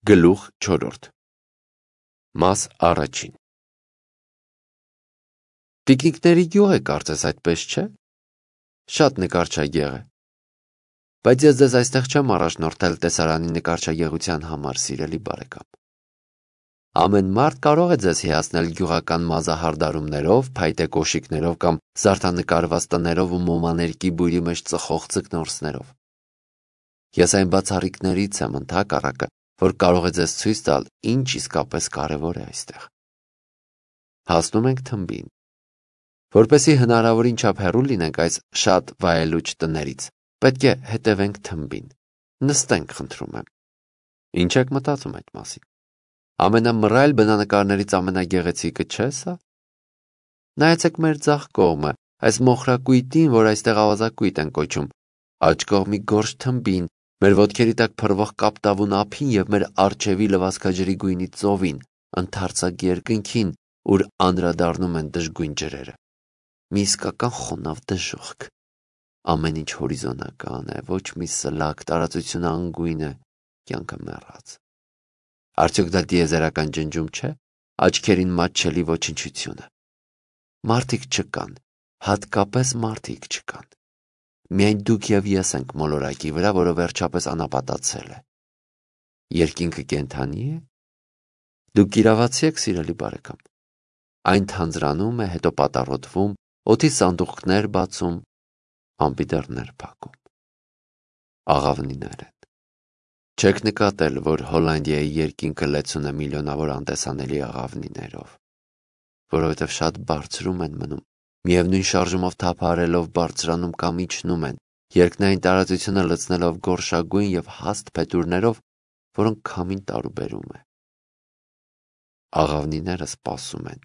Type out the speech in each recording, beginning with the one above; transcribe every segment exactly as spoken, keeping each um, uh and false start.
Գլուխ չորրորդ Մաս առաջին Տիկնիկների գյուղ է կարծես այդպես չէ, շատ նկարչագեղ է, բայց ես ձեզ այստեղ չեմ առաջնորդել տեսարանի նկարչագեղության համար, սիրելի բարեկամ։ Ամեն մարդ կարող է ձեզ հիացնել գյուղական մազահարդարումներով, փայտե կոշիկներով կամ զարդանկարված տներով ու մոմաներկի բույրի մեջ ծխող ձկնորսներով։ Ես այն բացառիկներից եմ ընդհակառակը, որ կարող է ձեզ ցույց տալ, ինչ իսկապես կարևոր է այստեղ։ Հասնում ենք թմբին։ Որպեսզի հնարավորին չափ հեռու լինենք այս շատ վայելուչ տներից, պետք է հետևենք թմբին։ Նստենք, խնդրում եմ։ Ինչ եք մտածում այդ մասին։ Ամենամռայլ բնանկարներից ամենագեղեցիկը չէ՞ սա։ Նայեցեք մեր ձախ կողմը, այս մոխրակույտին, որ այստեղ ավազակույտ են կոչում, աջ կողմի գորշ թմբին, մեր ոտքերի տակ փռվող կապտավուն ափին եւ մեր առջևի լվացքաջրի գույնի ծովին, ընդարձակ երկնքին, ուր անդրադառնում են դժգույն ջրերը։ Մի իսկական խոնավ դժոխք։ Ամեն ինչ հորիզոնական է, ոչ մի սլակ, տարածությունը անգույն է, կյանքը մեռած։ Արդյոք դա դիեզերական ջնջում չէ, աչքերին մատչելի ոչնչությունը։ Մարդիկ չկան, հատկապես մարդիկ չկան։ Միայն դուք եւ ես ենք մոլորակի վրա, որը վերջապես անապատացել է։ Երկինքը կենդանի է։ Դուք կիրավացի եք, սիրելի բարեկամ։ Այն թանձրանում է, հետո պատառոտվում, օդի սանդուղքներ բացում, ամպի դռներ փակում։ Աղավնիներ են։ Չեք նկատել, որ Հոլանդիայի երկինքը լեցուն է միլիոնավոր անտեսանելի աղավնիներով, որովհետև շատ բարձրում են մնում, միևնույն շարժումով թափահարելով բարձրանում կամ իջնում են, երկնային տարածությունը լցնելով գորշագույն եւ հաստ փետուրներով, որոնք քամին տարուբերում է։ Աղավնիները սպասում են։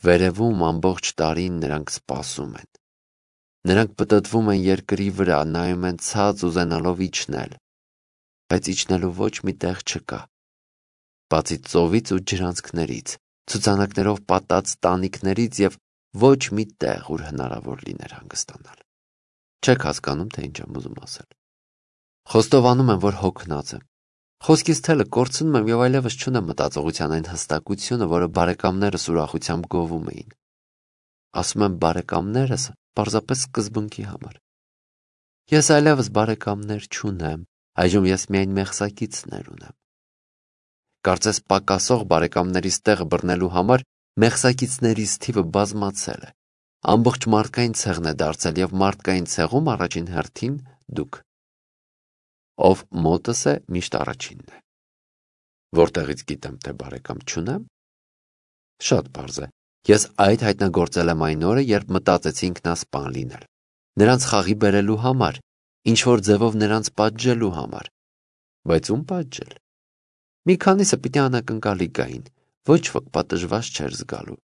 Վերևում ամբողջ տարին նրանք սպասում են։ Նրանք պտտվում են երկրի վրա, նայում են ցած ուզենալով իջնել, բայց իջնելու ոչ մի տեղ չկա, բացի ծովից ու ջրանցքներից, ցուցանակներով պատած տանիքներից եւ ոչ մի տեղ, ուր հնարավոր լիներ հանգստանալ։ Չեք հասկանում, թե ինչ եմ ուզում ասել։ Խոստովանում եմ, որ հոգնած եմ։ Խոսքից թելը կորցնում եմ եւ այլևս չունեմ մտածողության այն հստակությունը, որը բարեկամներս ուրախությամբ գովում էին։ Ասում եմ բարեկամներս պարզապես սկզբունքի համար։ Ես այլևս բարեկամներ չունեմ, այժմ ես միայն մեղսակիցներ ունեմ։ Կարծես պակասող բարեկամներիս տեղը բռնելու համար մեղսակիցներիս թիվը բազմացել է։ Ամբողջ մարդկային ցեղն է դարձել եւ մարդկային ցեղում առաջին հերթին դուք։ Ով մոտս է, միշտ առաջինն է։ Որտեղից գիտեմ, թե բարեկամ չունեմ։ Շատ պարզ է։ Ես այդ հայտնագործել եմ այն օրը, երբ մտածեցի ինքնասպան լինել։ Նրանց խաղի բերելու համար, ինչ որ ձևով նրանց պատժելու համար։ Բայց ում պատժել։ Մի քանիսը պիտի անակնկալի գային, ոչ ոք պատժված չէր զգալու։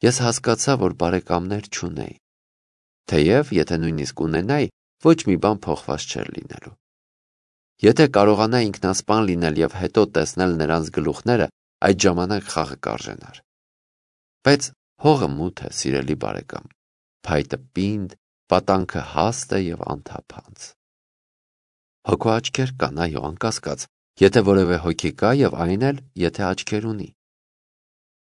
Ես հասկացա, որ բարեկամներ չունեի։ Թեև, եթե նույնիսկ ունենայի, ոչ մի բան փոխված չէր լինելու։ Եթե կարողանայի ինքնասպան լինել եւ հետո տեսնել նրանց գլուխները, այդ ժամանակ խաղը կարժենար։ Բայց հողը մութ է, սիրելի բարեկամ, փայտը պինդ, պատանքը հաստ է եւ անթափանց։ Հոգու աչքեր կան, այո, անկասկած, եթե որևէ հոգի կա եւ այն էլ, եթե աչքեր ունի։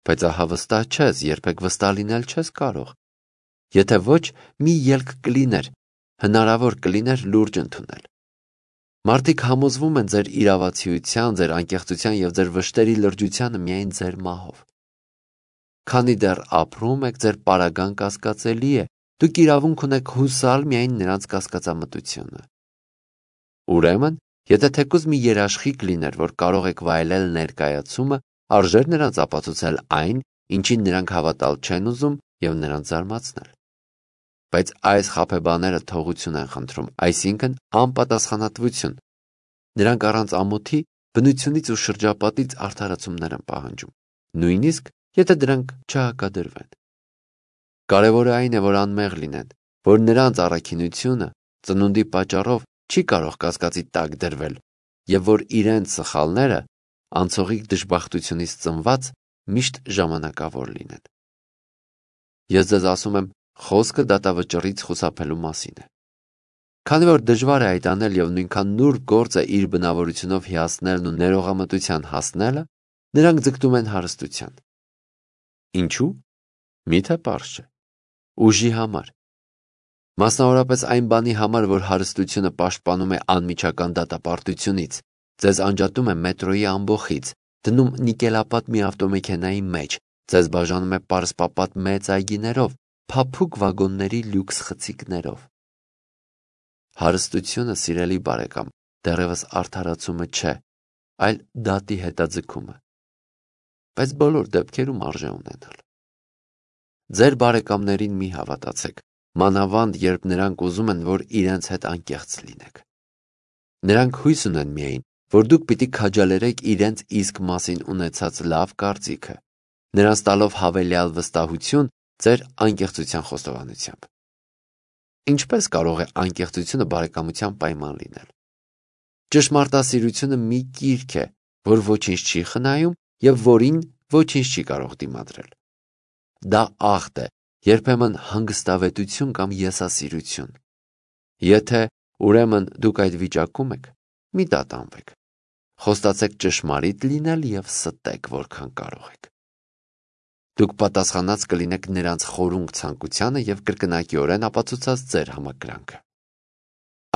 Բայց ահա վստահ չես, երբեք վստահ լինել չես կարող։ Եթե ոչ, մի ելք կլիներ, հնարավոր կլիներ լուրջ ընդունել։ Մարդիկ համոզվում են ձեր իրավացիության, ձեր անկեղծության եւ ձեր վշտերի լրջությանը միայն ձեր մահով։ Քանի դեռ ապրում եք, ձեր պարագան կասկածելի է, դուք իրավունք ունեք հուսալ միայն նրանց կասկածամտությունը։ Ուրեմն, եթե թեկուզ մի երաշխիք լիներ, որ կարող եք վայելել ներկայացումը, արժեր նրանց ապացուցել այն, ինչին նրանք հավատալ չեն ուզում եւ նրանց զարմացնել։ Բայց այս խաբեբաները թողություն են խնդրում, այսինքն անպատասխանատվություն։ Նրանք առանց ամոթի բնությունից ու շրջապատից արդարացումներ են պահանջում, նույնիսկ եթե դրանք չհակադրվեն։ Կարևորը այն է, որ անմեղ լինեն, որ նրանց առաքինությունը ծնունդի պատճառով չի կարող կասկածի տակ դրվել եւ որ իրենց սխալները անցողիկ դժբախտությունից ծնված միշտ ժամանակավոր լինեն։ Ես ձեզ ասում եմ, խոսքը դատավճռից խուսափելու մասին է։ Քանի որ դժվար է այդ անել և նույնքան նուրբ գործ է իր բնավորությունով հիացնելն ու ներողամտության հասնելը, նրանք ձգտում են հարստության։ Ինչու՞։ Միթե պարզ չէ։ Ուժի համար։ Մասնավորապես այն բանի համար, որ հարստությունը պաշտպանում է անմիջական դատապարտությունից, ձեզ անջատում է մետրոյի ամբոխից, դնում նիկելապատ մի ավտոմեքենայի մեջ, ձեզ բաժանում է պարսպապատ մեծ այգիներով, փափուկ վագոնների լյուքս խցիկներով։ Հարստությունը, սիրելի բարեկամ, դեռևս արդարացումը չէ, այլ դատի հետաձգումը։ Բայց բոլոր դեպքերում արժե ունենալ։ Ձեր բարեկամներին մի հավատացեք, մանավանդ երբ նրանք ուզում են, որ իրենց հետ անկեղծ լինեք։ Նրանք հույս ունեն միայն, որ դուք պիտի քաջալերեք իրենց իսկ մասին ունեցած լավ կարծիքը, նրանց տալով հավելյալ վստահություն ձեր անկեղծության խոստովանությամբ։ Ինչպես կարող է անկեղծությունը բարեկամության պայման լինել։ Ճշմարտասիրությունը մի կիրք է, որ ոչինչ չի խնայում և որին ոչինչ չի կարող դիմադրել։ Դա աղտ է, երբեմն հանգստավետություն կամ եսասիրություն։ Եթե, ուրեմն, դուք այդ վիճակում եք, մի տատանվեք։ Խոստացեք ճշմարիտ լինել և ստեք, որքան կարող եք։ Դուք պատասխանած կլինեք նրանց խորունկ ցանկությանը և կրկնակիորեն ապացուցած ձեր համակրանքը։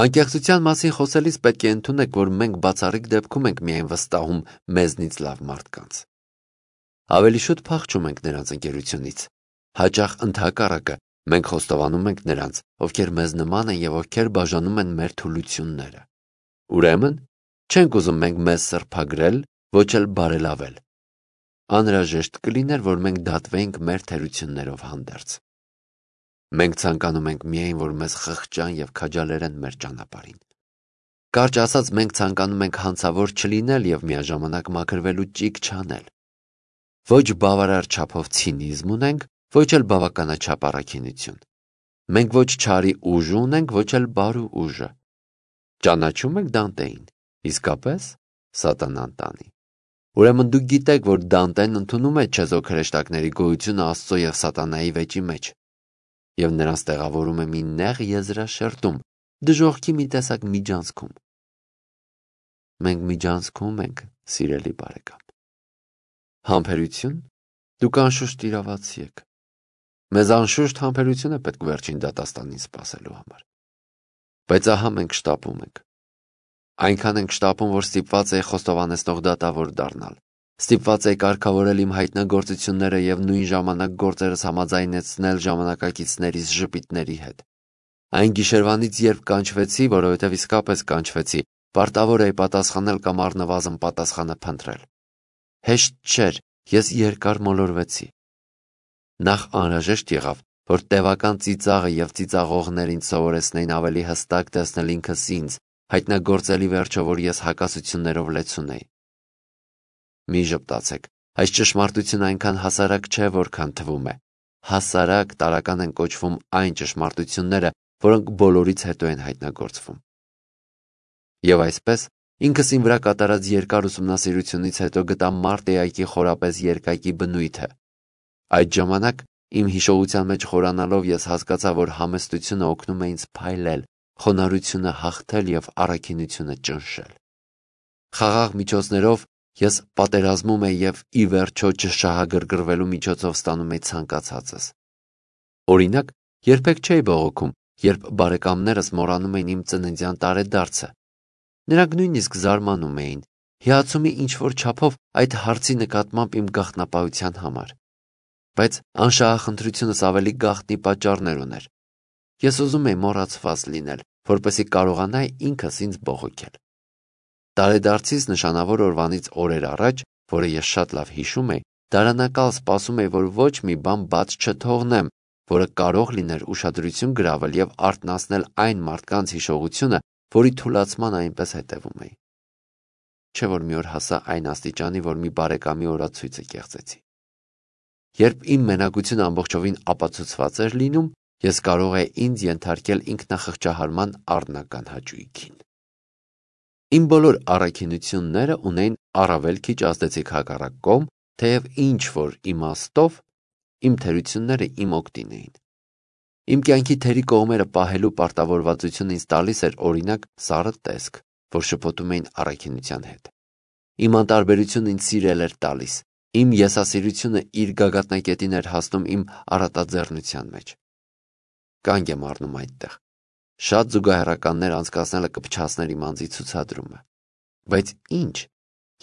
Անկեղծության մասին խոսելիս պետք է ընդունեք, որ մենք բացառիկ դեպքում ենք միայն վստահում մեզնից լավ մարդկանց։ Ավելի շուտ փախչում ենք նրանց ընկերությունից։ Հաճախ ընդհակառակը, մենք խոստովանում ենք նրանց, ովքեր մեզ նման են և ովքեր բաժանում են մեր թուլությունները։ Ուրեմն, չենք ուզում մենք մեզ սրբագրել, ոչ էլ բարելավել։ Անհրաժեշտ կլիներ, որ մենք դատվեինք մեր թերություններով հանդերձ։ Մենք ցանկանում ենք միայն, որ մեզ խղճան և քաջալերեն մեր ճանապարհին։ Կարճ ասած, մենք ցանկանում ենք հանցավոր չլինել և միաժամանակ մաքրվելու ճիգ չանել։ Ոչ բավարար չափով ցինիզմ ունենք, ոչ էլ բավականաչափ առաքինություն։ Մենք ոչ չարի ուժ ունենք, ոչ էլ բարու ուժը։ Ճանաչո՞ւմ եք Դանտեին, իսկապես սատանան տանի։ Ուրեմն դուք գիտեք, որ Դանտեն ընդունում է չեզոք հրեշտակների գոյությունը Աստծո և սատանայի վեճի մեջ, և նրանց տեղավորում է մի նեղ եզրաշերտում, դժոխքի մի տեսակ միջանցքում։ Մենք միջանցքում ենք, սիրելի բարեկամ։ Համբերություն, դուք անշուշտ իրավացի եք։ Մեզ անշուշտ համբերություն է պետք վերջին դատաստանին սպասելու համար։ Բայց ահա մենք շտապում ենք։ Այնքան ենք շտապում, որ ստիպված էի խոստովանեցնող դատավոր դառնալ։ Ստիպված էի կարգավորել իմ հայտնագործությունները և նույն ժամանակ գործերս համաձայնեցնել ժամանակակիցներիս ժպիտների հետ։ Այն գիշերվանից, երբ կանչվեցի, որովհետև իսկապես կանչվեցի, պարտավոր էի պատասխանել կամ առնվազն պատասխանը փնտրել։ Հեշտ չէր, ես երկար մոլորվեցի։ Նախ անհրաժեշտ եղավ, որ տևական ծիծաղը և ծիծաղողներին սովորեցնեին ավելի հստակ տեսնել ինքս ինձ, հայտնագործելի վերջո, որ ես հակասություններով լեցուն էի։ Մի ժպտացեք, այս ճշմարտությունը այնքան հասարակ չէ, որքան թվում է։ Հասարակ տարական են կոչվում այն ճշմարտությունները, որոնք բոլորից հետո են հայտնագործվում։ Եվ այսպես, ինքս իմ վրա կատարած երկար ուսումնասիրությունից հետո գտա մարտեայքի խորապես երկակի բնույթը։ Այդ ժամանակ իմ հիշողության մեջ խորանալով ես հասկացա, որ համեստությունը օգնում է ինձ փայլել, խոնարհությունը հաղթել և առաքինությունը ճնշել։ Խաղաղ միջոցներով ես պատերազմում էի և ի վերջո չշահագրգռվելու միջոցով ստանում էի ցանկացածս։ Օրինակ, երբեք չէի բողոքում, երբ բարեկամներս մոռանում էին իմ ծննդյան տարեդարձը։ Նրանք նույնիսկ զարմանում էին, հիացումի ինչ-որ չափով այդ հարցի նկատմամբ իմ գաղտնապահության համար։ Բայց անշահախնդրությունս ավելի գաղտնի պատճառներ ուներ։ Ես ուզում էի մոռացված լինել, որպեսզի կարողանայի ինքս ինձ բողոքել։ Տարեդարձիս նշանավոր օրվանից օրեր առաջ, որը ես շատ լավ հիշում էի, դարանակալ սպասում էի, որ ոչ մի բան բաց չթողնեմ, որը կարող լիներ ուշադրություն գրավել և արթնացնել այն մարդկանց հիշողությունը, որի թուլացման այնպես հետևում էի։ Չէ՞ որ մի օր հասա այն աստիճանի, որ մի բարեկամի օրացույցը կեղծեցի։ Երբ իմ մենակությունը ամբողջովին ապացուցված էր լինում, ես կարող էի ինձ ենթարկել ինքնախղճահարման առնական հաճույքին։ Իմ բոլոր առաքինությունները ունեին առավել քիչ ազդեցիկ հակառակ կողմ, թեև ինչ-որ իմաստով իմ թերությունները իմ օգտին էին։ Իմ կյանքի թերի կողմերը պահելու պարտավորվածությունը ինձ տալիս էր օրինակ սառը տեսք, որ շփոթում էին առաքինության հետ։ Իմ անտարբերությունը ինձ սիրել էր տալիս, իմ եսասիրությունը իր գագաթնակետին էր հասնում իմ առատաձեռնության մեջ։ Կանգ եմ առնում այդտեղ։ Շատ զուգահեռականներ անցկացնելը կփչացներ իմ անձի ցուցադրումը։ Բայց ինչ,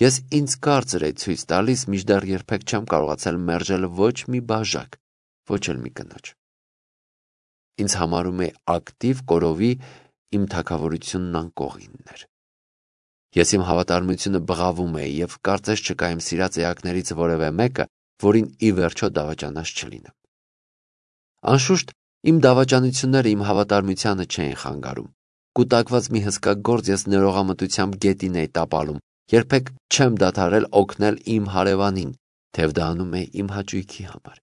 ես ինձ կարծր էի ցույց տալիս, մինչդեռ երբեք չեմ կարողացել մերժել ոչ մի բաժակ, ոչ էլ մի կնոջ։ Ինձ համարում է ակտիվ կորովի իմ թագավորությունն անկողիններ։ Ես իմ հավատարմությունը բղավում էի եւ կարծես չկա իմ սիրած էակներից որևէ մեկը, որին ի վերջո դավաճանած չլինեմ։ Անշուշտ իմ դավաճանությունները իմ հավատարմությանը չէին խանգարում։ Կուտակված մի հսկա գործ ես ներողամտությամբ գետին էի տապալում, երբեք չեմ դադարել օգնել իմ հարևանին, թեև դա անում էի իմ հաճույքի համար։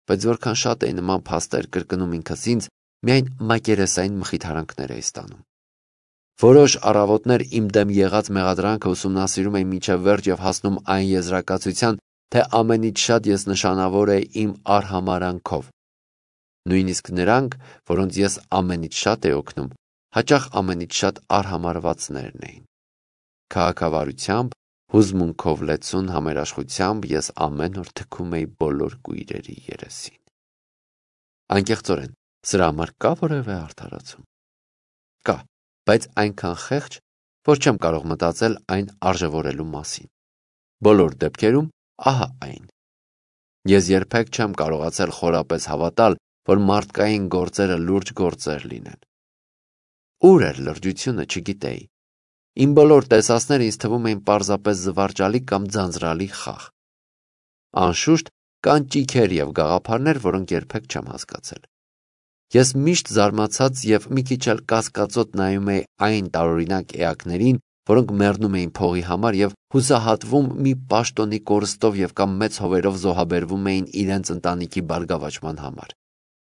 Բայց որքան շատ էի նման փաստեր կրկնում ինքս ինձ, միայն մակերեսային մխիթարանքներ էի ստանում։ Որոշ առավոտներ իմ դեմ եղած մեղադրանքը ուսումնասիրում էի մինչև վերջ եւ հասնում այն եզրակացության, թե ամենից շատ ես նշանավոր էի իմ արհամարանքով։ Նույնիսկ նրանք, որոնց ես ամենից շատ էի օգնում, հաճախ ամենից շատ արհամարվածներն էին։ Քաղաքավարությամբ, հուզմունքով լեցուն համերաշխությամբ ես ամեն օր թքում էի բոլոր կույրերի երեսին։ Անկեղծորեն, սրա համար կա որևէ արդարացում։ Կա, բայց այնքան խեղճ, որ չեմ կարող մտածել այն արժևորելու մասին։ Բոլոր դեպքերում ահա այն։ Ես երբեք չեմ կարողացել խորապես հավատալ, որ մարդկային գործերը լուրջ գործեր լինեն։ Ուր էր լրջությունը, չգիտեի։ Իմ բոլոր տեսածները ինձ թվում էին պարզապես զվարճալի կամ ձանձրալի խաղ։ Անշուշտ կան ճիգեր եւ գաղափարներ, որոնք երբեք չեմ հասկացել։ Ես միշտ զարմացած եւ մի քիչ էլ կասկածոտ նայում էի այն տարօրինակ էակներին, որոնք մեռնում էին փողի համար եւ հուսահատվում մի պաշտոնի կորստով եւ կամ մեծ հովերով զոհաբերվում էին իրենց ընտանիքի բարգավաճման համար։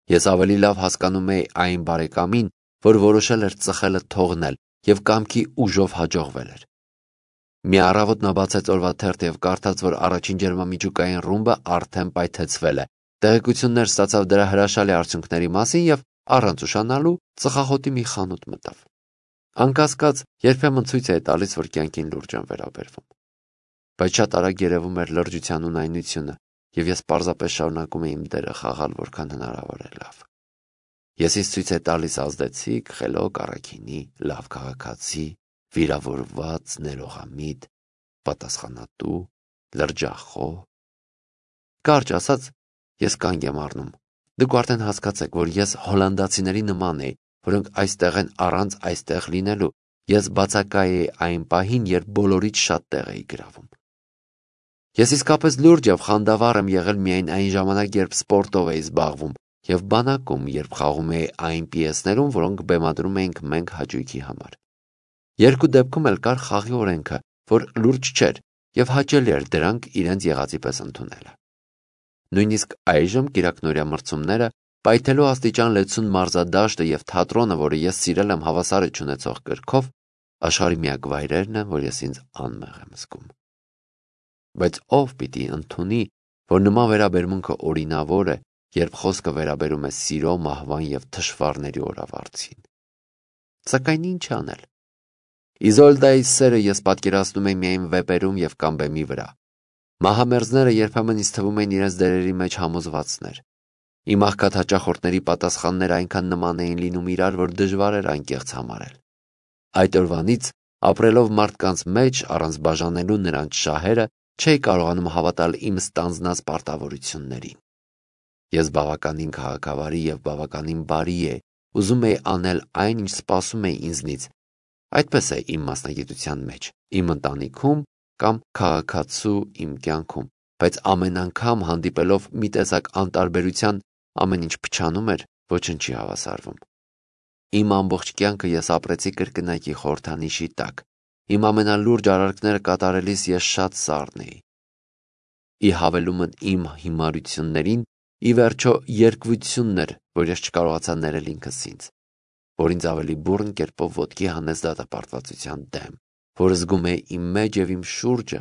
Ես ավելի լավ հասկանում էի այն բարեկամին, որ որոշել էր ծխելը թողնել եւ կամքի ուժով հաջողվել էր։ Մի առավոտ նա բացեց օրվա թերթը եւ կարդաց, որ առաջին ջերմամիջուկային ռումբը արդեն պայթեցվել է։ Տեղեկություններ ստացավ դրա հրաշալի արդյունքների մասին եւ առանց ուշանալու ծխախոտի մի խանութ մտավ։ Անկասկած, երբեմն ցույց է տալիս, որ կյանքին լուրջ եմ վերաբերվում։ Բայց շատ արագ երևում էր լրջության ունայնությունը, եւ ես պարզապես շարունակում էի իմ դերը խաղալ որքան հնարավոր է լավ։ Ես ինձ ցույց է տալիս ազդեցիկ, խելոք առաքինի, լավ քաղաքացի, վիրավորված, ներողամիտ, պատասխանատու, լրջախոհ։ Կարճ ասած, ես կանգ եմ առնում։ Դուք արդեն հասկացեք, որ ես հոլանդացիների նման էի, որոնք այստեղ են առանց այստեղ լինելու։ Ես բացակայ էի այն պահին, երբ բոլորից շատ տեղ էի գրավում։ Ես իսկապես լուրջ եւ խանդավառ եմ եղել միայն այն ժամանակ, երբ սպորտով էի զբաղվում եւ բանակում, երբ խաղում էի այն պիեսներում, որոնք բեմադրում էինք մենք հաճույքի համար։ Երկու դեպքում էլ կար խաղի օրենքը, որ լուրջ չէր եւ հաճելի էր դրանք իրենց եղածի պես ընդունելը։ Նույնիսկ այժմ կիրակնօրյա մրցումները, պայթելու աստիճան լեցուն մարզադաշտը եւ թատրոնը, որը ես սիրել եմ հավասարը չունեցող կրքով, աշխարհի միակ վայրերն են, որ ես ինձ անմեղ եմ զգում։ Բայց ով պիտի ընդունի, որ նման վերաբերմունքը օրինավոր է, երբ խոսքը վերաբերում է սիրո, մահվան եւ թշվառների օրավարձին։ Սակայն ինչ անել։ Իզոլդայի սերը ես պատկերացնում եմ միայն վեպերում եւ կամ բեմի վրա։ Մահամերձները երբեմն ինձ թվում են իրենց դերերի մեջ համոզվածներ։ Իմ աղքատ հաճախորդների պատասխանները այնքան նման էին լինում իրար, որ դժվար էր անկեղծ համարել։ Այդ օրվանից, ապրելով մարդկանց մեջ, առանց բաժանելու նրանց շահերը, չէի կարողանում հավատալ իմ ստանձնած պարտավորություններին։ Ես բավականին քաղաքավարի եւ բավականին բարի էի, ուզում էի անել այն, ինչ սպասում էի ինձնից։ Այդպես է իմ մասնագիտության մեջ, իմ ընտանիքում կամ քաղաքացու իմ կյանքում, բայց ամեն անգամ հանդիպելով մի տեսակ անտարբերության, ամեն ինչ փչանում էր, ոչնչի հավասարվում։ Իմ ամբողջ կյանքը ես ապրեցի կրկնակի խորհրդանիշի տակ։ Իմ ամենալուրջ արարքները կատարելիս ես շատ սառն էի։ Ի հավելումն իմ հիմարություններին, ի վերջո երկվությունն էր, որ ես չկարողացա ներել ինքս ինձ, որ ինձ ավելի բուռն կերպով ոտքի հանեց դատապարտվածության դեմ, որ զգում էի իմ մեջ եւ իմ շուրջը,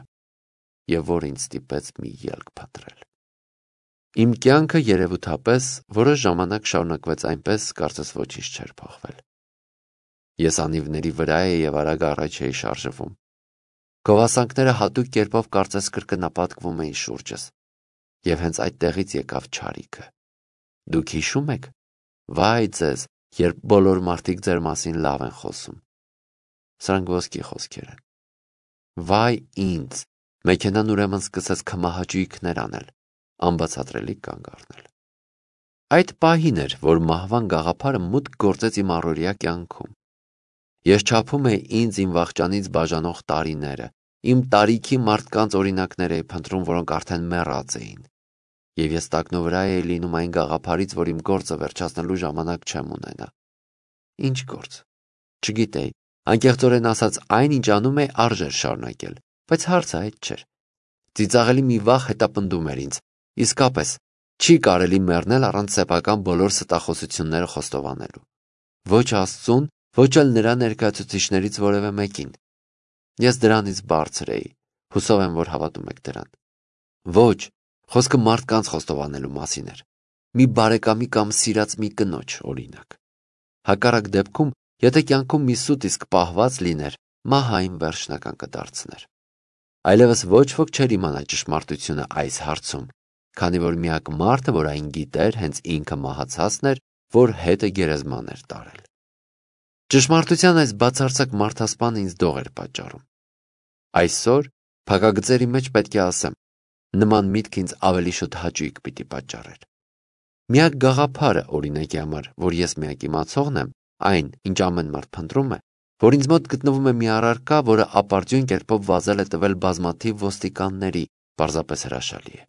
եւ որ ինձ ստիպեց մի ելք փնտրել։ Իմ կյանքը երևութապես որոշ ժամանակ շարունակվեց այնպես, կարծես ոչինչ չէր փոխվել։ Ես անիվների վրա էի և արագ առաջ էի շարժվում։ Գովասանքները հատուկ կերպով կարծես կրկնապատկվում էին շուրջս, և հենց այդտեղից եկավ չարիքը։ Դուք հիշո՞ւմ եք, վայ ձեզ, երբ բոլոր մարդիկ ձեր մասին լավ են խոսում։ Սրանք ոսկի խոսքեր են։ Վայ ինձ, մեքենան ուրեմն սկսեց քմահաճույքներ անել, անբացատրելի կանգ առնել։ Այդ պահին էր, որ մահվան գաղափարը մուտք գործեց իմ առօրյա կյանքում։ Ես չափում էի ինձ իմ վախճանից բաժանող տարիները, իմ տարիքի մարդկանց օրինակներ էի փնտրում, որոնք արդեն մեռած էին, և ես տակնովրա էի լինում այն գաղափարից, որ իմ գործը վերջացնելու ժամանակ չեմ ունենա։ Ինչ գործ։ Չգիտեի, անկեղծորեն ասած, այն, ինչ անում էի, արժեր շարունակել, բայց հարցը այդ չէր։ Ծիծաղելի մի վախ հետապնդում էր ինձ, իսկապես, չի կարելի մեռնել առանց սեփական բոլոր ստախոսությունները խոստովանելու։ Ոչ Աստծուն, ոչ էլ նրա ներկայացուցիչներից որևէ մեկին։ Ես դրանից բարձր էի, հուսով եմ, որ հավատում եք դրան։ Ոչ, խոսքը մարդկանց խոստովանելու մասին էր։ Մի բարեկամի կամ սիրած մի կնոջ, օրինակ։ Հակառակ դեպքում, եթե կյանքում մի սուտ իսկ պահված լիներ, մահը այն վերջնական կդարձներ։ Այլևս ոչ ոք չէր իմանա ճշմարտությունը այս հարցում, քանի որ միակ մարդը, որ այն գիտեր, հենց ինքը մահացածն էր, որ հետը գերեզման էր տարել։ Ճշմարտության այս բացարձակ մարդասպանը ինձ դող էր պատճառում։ Այսօր փակագծերի մեջ պետք է ասեմ, նման միտք ինձ ավելի շուտ հաճույք պիտի պատճառեր։ Միակ գաղափարը, օրինակի համար, որ ես միակ իմացողն եմ, այն, ինչ ամեն մարդ փնտրում է, որ ինձ մոտ գտնվում է մի առարկա, որը ապարդյուն կերպով վազել է տվել բազմաթիվ ոստիկանների, պարզապես հրաշալի է։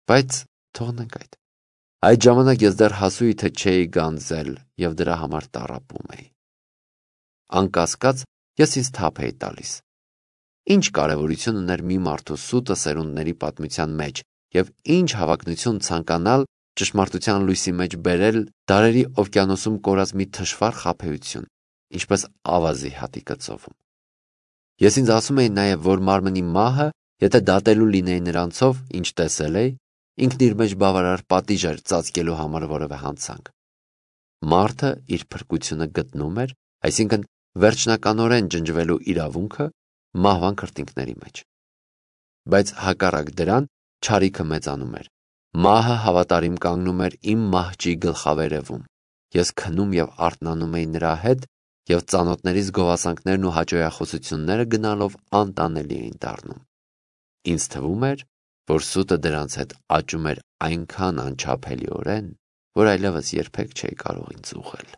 Բայց թողնենք այդ։ Այդ ժամանակ ես դեռ հասույթը չէի գանձել և դրա համար տառապում էի։ Անկասկած, ես ինձ թափ էի տալիս։ Ինչ կարևորություն ուներ մի մարդու սուտը սերունդների պատմության մեջ և ինչ հավակնություն ցանկանալ ճշմարտության լույսի մեջ բերել դարերի օվկիանոսում կորած մի թշվառ խաբեություն, ինչպես ավազի հատիկը ծովում։ Ես ինձ ասում էի նաև, որ մարմնի մահը, եթե դատելու լինեի նրանցով, ինչ տեսել էի, ինքն իր մեջ բավարար պատիժ էր ծածկելու համար որևէ հանցանք։ Մարդը իր փրկությունը գտնում էր, այսինքն վերջնականորեն ջնջվելու իրավունքը մահվան քրտինքների մեջ։ Բայց հակառակ դրան չարիքը մեծանում էր։ Մահը հավատարիմ կանգնում էր իմ մահճի գլխավերևում։ Ես քնում և արթնանում էի նրա հետ, և ծանոթներիս գովասանքներն ու հաճոյախոսությունները գնալով անտանելի էին դառնում։ Ինձ թվում էր, որ սուտը դրանց հետ աճում էր այնքան անչափելիորեն, որ այլևս երբեք չէի կարող ինձ ուղղել։